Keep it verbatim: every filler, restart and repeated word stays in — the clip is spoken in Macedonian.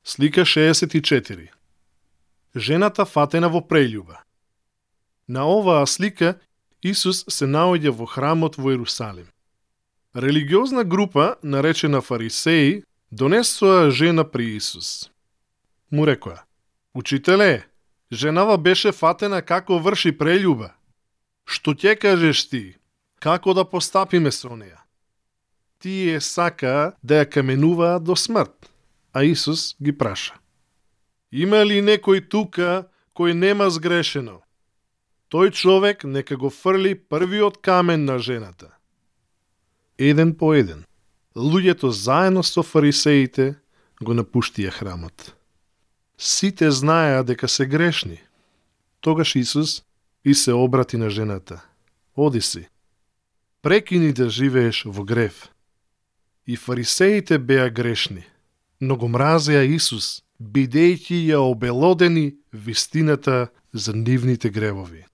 Слика шеесет и четири. Жената фатена во прељуба. На оваа слика Исус се наоѓа во храмот во Ерусалим. Религиозна група, наречена фарисеи, донесоа жена при Исус. Му рекоа: Учителе, женава беше фатена како врши прељуба. Што ќе кажеш ти? Како да постапиме со неја? Тие сакаа да ја каменуваат до смрт. А Исус ги праша: Има ли некој тука кој нема сгрешено? Тој човек нека го фрли првиот камен на жената. Еден по еден, луѓето заедно со фарисеите го напуштија храмот. Сите знаеа дека се грешни. Тогаш Исус и се обрати на жената: Оди си, прекини да живееш во грев. И фарисеите беа грешни, но го мразеа Исус, бидејќи ја обелодени вистината за нивните гревови.